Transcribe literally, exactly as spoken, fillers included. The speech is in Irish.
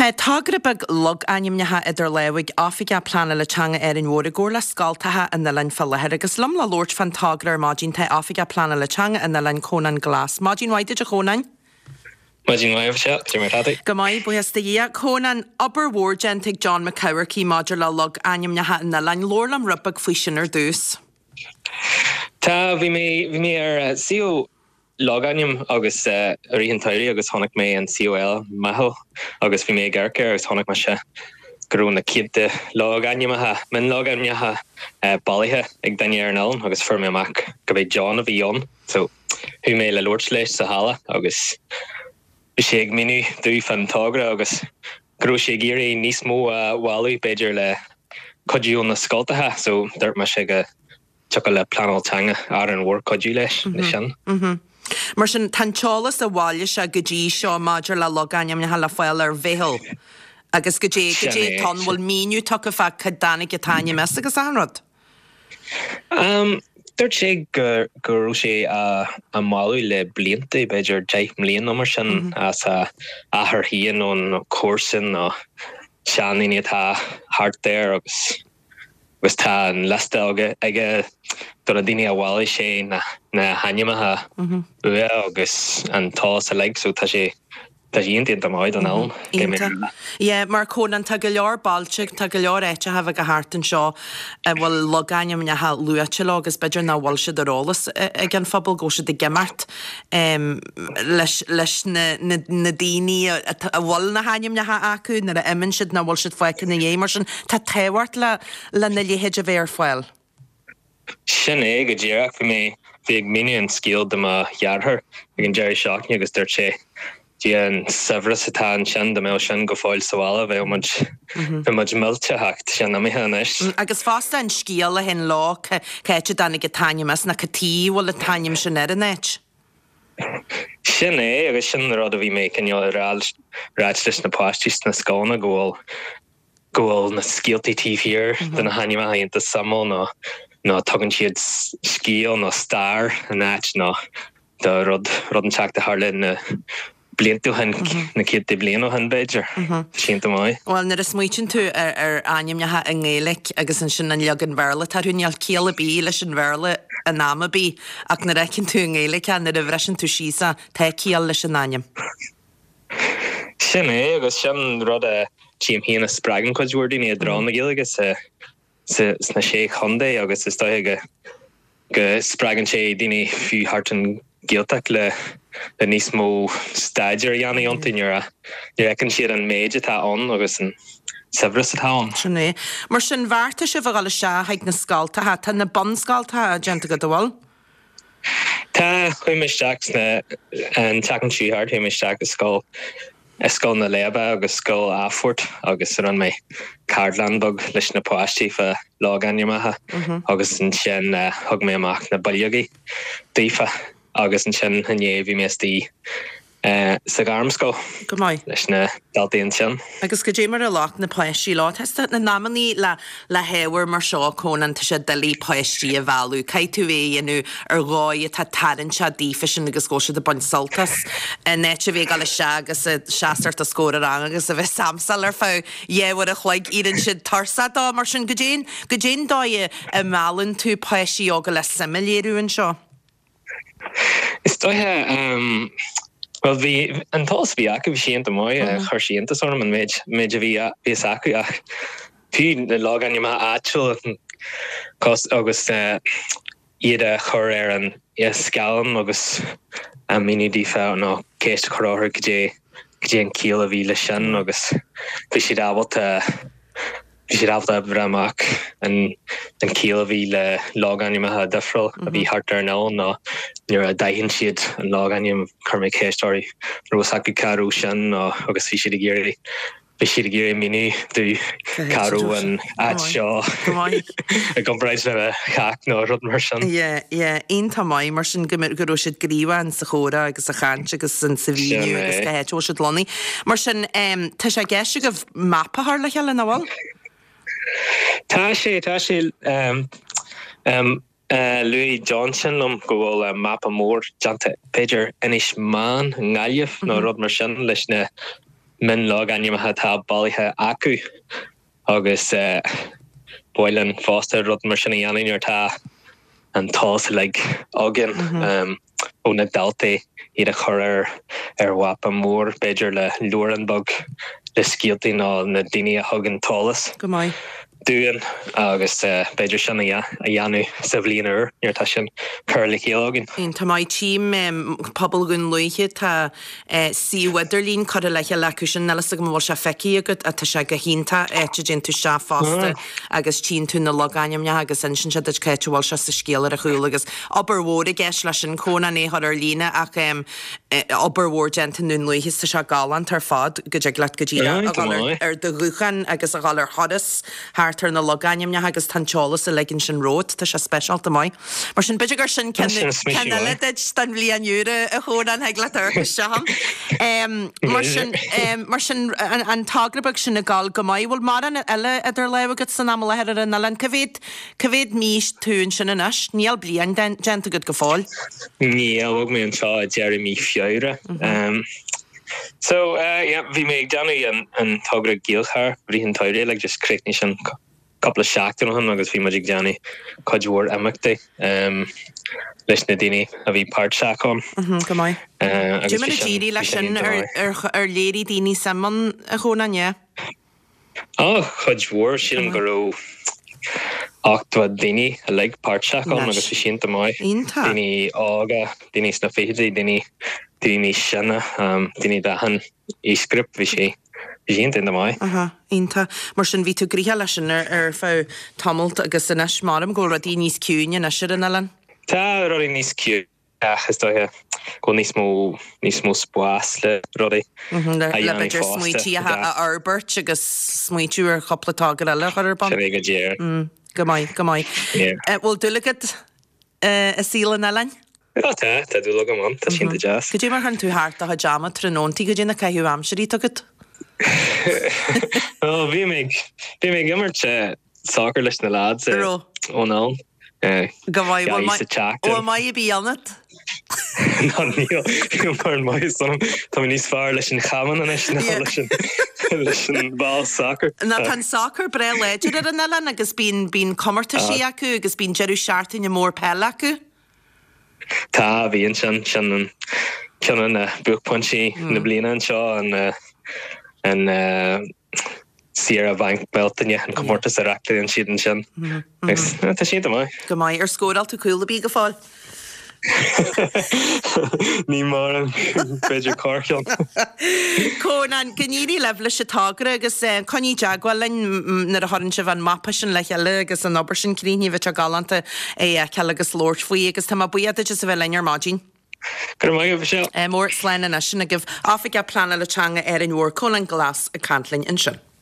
Tá togra beag logainmneacha idir lámha ag Oifigeach Pleanála Teanga Árainn Mhór i gcomhar le scoltacha an oileáin fá láthair agus liom le labhairt fán togra ar maidin tá Oifigeach Pleanála Teanga an oileáin Cónán Glas. Maidin mhaith duit a Chónáin. Maidin mhaith se mar tá. Go maith buíochas do Dhia Cónán obair mhór déanta ag John Mac Eamharcaigh maidir le logainmneacha an oileáin labhair liom rud beag faoi sin ar dtús. Tá bhí mé bhí mé ar suíomh logainm agus i rith an tsamhraidh agus chonaic mé an suíomh Meitheal agus bhí mé ag amharc air agus chonaic mé se go raibh na céadta logainmneacha mionlogainmneacha bailithe ag duine ar an oileán agus fuair mé amach go b'é John a bhí ann so chuaigh mé le labhairt leis sa halla agus bhí sé ag míniú domh fán togra agus go raibh sé ag iarraidh níos mó a bhailiú b'fhéidir le cuidiú na scoltacha so dúirt mé sé go dtiocfadh le pleanáil teanga Árainn Mhór cuidiú leis leis sin. Mar sin tá an t-eolas a bhailigh sé go dtí seo maidir le logainmneacha le fáil ar Mheitheal. Agus go dté go dté tá bhfuil míniú tugtha fá cá dtáinig an t-ainm as agus an rud. Um, Dúirt sé go go raibh sé á á mbailiú le blianta b'fhéidir deich mbliana nó mar sin as a athair féin ón comharsan nó seandaoine atá thart air agus agus tá an liosta aige aige do na daoine a bhailigh sé na na hainmneacha uaidh agus an t-eolas uilig so tá sé tá sé iontach maith don am. Iontach. Yeah, mar Cónán tá go leor bailte tá go leor áiteacha bheaga thart anseo a bhfuil logainmneacha luaite leo agus b'fhéidir nach bhfuil siad ar eolas ag an phobal go bhfuil siad ag imeacht um, leis, leis na, na, na daoine a, a bhfuil na hainmneacha acu nuair a imíonn siad nach bhfuil siad fágtha ina dhiaidh mar sin tá tábhacht le lena leithéid a bheith ar fáil. Sin é go díreach bhí mé bhí ag míniú an scéal do mo dheartháir ag an deireadh seachtaine agus dúirt sé Dia an saibhreas atá ansin dá mbeadh sin go fóill sa bhaile bheadh muid bheadh muid millte ach sin imithe anois. Agus fosta an scéal a théann leo cá háit a dtáinig an t-ainm as nó cad tuige a bhfuil an t-ainm sin ar an áit. Sin é agus sin an rud a bhí mé cineál ag rá ráit leis na páistí sna scoileanna go bhfuil go bhfuil na scéaltaí taobh thiar de na hainmneacha iontach suimiúil nó nó tugann siad scéal nó stair an áit nó do rud rud inteacht a tharla na blianta ó shin na céadta bliain ó shin b'fhéidir. Iontach maith. Well nuair a smaoitíonn tú ar, ar ainmneacha i nGaeilge agus ansin an leagan Béarla atá orthu níl ciall ar bith leis an Bhéarla in am ar bith ach nuair a fheiceann tú i nGaeilge nuair a bhriseann tú síos é tá ciall leis an ainm. Sin é agus sin rud a tchím féin a spreagann cuid mhór daoine i dtreo na Gaeilge sa sa sna sé chontae agus is dóiche go go spreagann sé daoine fiú thart an Ghaeltacht le le níos mó staidéar a dhéanamh iontu nuair a nuair a fheiceann siad an méid atá ann agus an saibhreas atá ann. Sin é. Mar sin bheartaigh sibh a dhul isteach chuig na scoltacha, tá na bunscoltacha déanta agat an bhfuil? Tá chuaigh mé isteach sna an tseachtain seo thart chuaigh mé isteach i scoil i scoil na Léibe agus scoil Athphoirt agus rinne mé ceardlann beag leis na páistí fá logainmneacha agus ansin thug mé amach na bileogaí daofa agus ansin inné bhí mé istigh sa ghairmscoil Go maith. leis na daltaí ansin. Agus go dé mar a ghlac na páistí leo Tá na namannaí le le hábhar mar seo Cónán tá sé doiligh páistí a mhealladh, Caithfidh tú é a dhéanamh ar dhóigh atá tarraingteach daofa sin agus go bhfuil siad ag baint sult as in áit a bheith ag dul isteach agus ag seasamh os comhair an ranga agus a bheith ag samsáil ar feadh dhá uair a chloig éiríonn siad tuirseach dó mar sin go dtéann go dtéann dóigh a meallann tú páistí óga le suim a léiriú anseo. Is dóiche um, well bhí an t-eolas a bhí acu bhí sé iontach maith chuir sé iontas orm an méid méid a bhí bhí fhios acu ach fiú na logainmneacha áitiúil cos agus uh, iad a chur ar an scáileán agus a míniú daofa nó ceist a chur orthu go dté go dté an ciall a bhí leis sin agus bhí siad ábalta bhí siad ábalta breith amach an an ciall a bhí le logainmneacha difriúil a bhí thart ar an oileán nó nuair a d'aithin siad an logainm chuir mé ceist orthu raibh fhios acu cá raibh sin nó agus bhí siad ag iarraidh bhí siad ag iarraidh míniú domh cá raibh an áit seo i gcomparáid le cách nó rud mar sin. Yeah, yeah, iontach maith mar sin go go raibh siad gníomhach sa chomhrá agus sa chaint agus an sa mhíniú agus cá háit a bhfuil siad lonnaithe. Mar sin um, tá sé i gceist agaibh mapa a chur le chéile nach bhfuil? Tá sé tá sé um, um, uh, luaigh Johnson liom go bhfuil uh, mapa mór déanta b'fhéidir Inis Meáin i nGaillimh nó rud mar sin leis na mionlogainmneacha atá bailithe acu agus ba mhaith linn fosta rud mar sin a dhéanamh nuair atá an t-eolas uilig againn ó na daltaí iad a chur ar ar mhapa mór b'fhéidir le leabhrán beag le scéaltaí nó na daoine a thug an t-eolas Go maith. dúinn agus b'fhéidir sin a dhéanamh sa bhliain úr nuair atá sin curtha le chéile againn. Tá maith tím pobal Dhún Lúiche tá suíomh idirlín curtha le chéile acu sin níl a fhios agam an bhfuil sé feicthe agat tá sé go hiontach áit a dtéann tú isteach fosta agus tchíonn tú na logainmneacha agus insíonn sé duit cá háit a bhfuil sé sa scéal ar a chúl agus obair mhór i gceist leis sin Cónán é a chur ar líne ach obair mhór déanta i nDún Lúiche tá sé galánta ar fad go dtig leat go díreach a dhul ar do ghuthán agus a dhul ar thuras thart ar na logainmneacha agus tá an t-eolas uilig ansin romhat, tá sé speisialta maith. Mar sin b'fhéidir gur sin ceann eile duit don bhliain úr a Chónáin thig leat amharc isteach ann. Mar sin mar sin an togra beag sin ag gabháil go maith. Bhfuil mórán eile idir lámha agat san am i láthair ar an oileán? Cá mhéad cá mhéad mí tú ansin anois? Níl bliain déanta agat go fóill. Níl, bhog mé anseo i deireadh mí Feabhra. So yeah, bhí mé ag déanamh an an togra Gaelcharr i rith an tsamhraidh, like just chríochnaigh sin cúpla seachtain ó shin agus bhí muid ag déanamh cuid mhór imeachtaí leis na daoine a bhí páirteach ann. Go maith. Cad é mar a d'éirigh leis sin ar léirigh daoine suim ann a Chónáin, yeah? Á, cuid mhór, sílim go raibh ochtó daoine uilig páirteach ann agus bhí sé iontach maith. Iontach. Daoine óga, daoine sna fichidí, daoine daoine níos sine, daoine d'achan aoisghrúpa, bhí sé bhí sé iontach iontach maith. Aha, iontach. Mar sin bhí tú gnoitheach leis sin ar ar feadh tamalt agus anois measaim go bhfuil rudaí níos ciúine anois ar an oileán. Tá rudaí níos ciúine ach is dóiche go bhfuil níos mó níos mó spás le rudaí a Le dhéanamh b'fhéidir fosta. smaointí a a fhorbairt agus smaointiú ar chúpla togra eile a chur ar bun. Sin é go díreach. Go maith, go maith. Yeah. Bhfuil dúil agat i saol an oileáin? Tá, tá dúil agam ann, tá sé iontach deas. Cad é mar chuireann tú thart do chuid ama tráthnóntaí, cad é na caitheamh aimsirí atá agat? Well, bhí mé bhí mé ag imirt soccer leis na lads An raibh? ón am. Go maith, Dhá bhfuil sa tseachtain. bhfuil maith ar bith ionat? Ná níl níl mar an maith san Tá mé níos fearr leis an chamán anois ná Yeah. leis an leis an ball soccer. Ná tá an soccer breá láidir ar an oileán agus bíonn bíonn comórtaisí acu agus bíonn deireadh seachtaine mór peile acu. Tá bhíonn sin sin an ceann de na buaicphointí na bliana anseo an eh, an eh, Saoire Bhanc Bealtaine an comórtas a reáchtálann siad ansin. Agus, eh, Tá sé maith. Go maith ar scóráil tú cúl ar bith go fóill. Ní mar an b'fhéidir corrcheann. Cónán go n-éirí libh leis an togra agus eh, coinnigh i dteagmháil linn nuair a chuireann sibh an mapa sin le chéile agus an obair sin críochnaithe bheadh sé galánta é a fheiceáil agus labhairt faoi agus tá mé buíoch duit as a bheith linn ar maidin. Go raibh maith agat Michelle. Eh, mór slán anois sin agaibh Oifigeach Pleanála Teanga Árainn Mhór Cónán Glass ag caint linn ansin.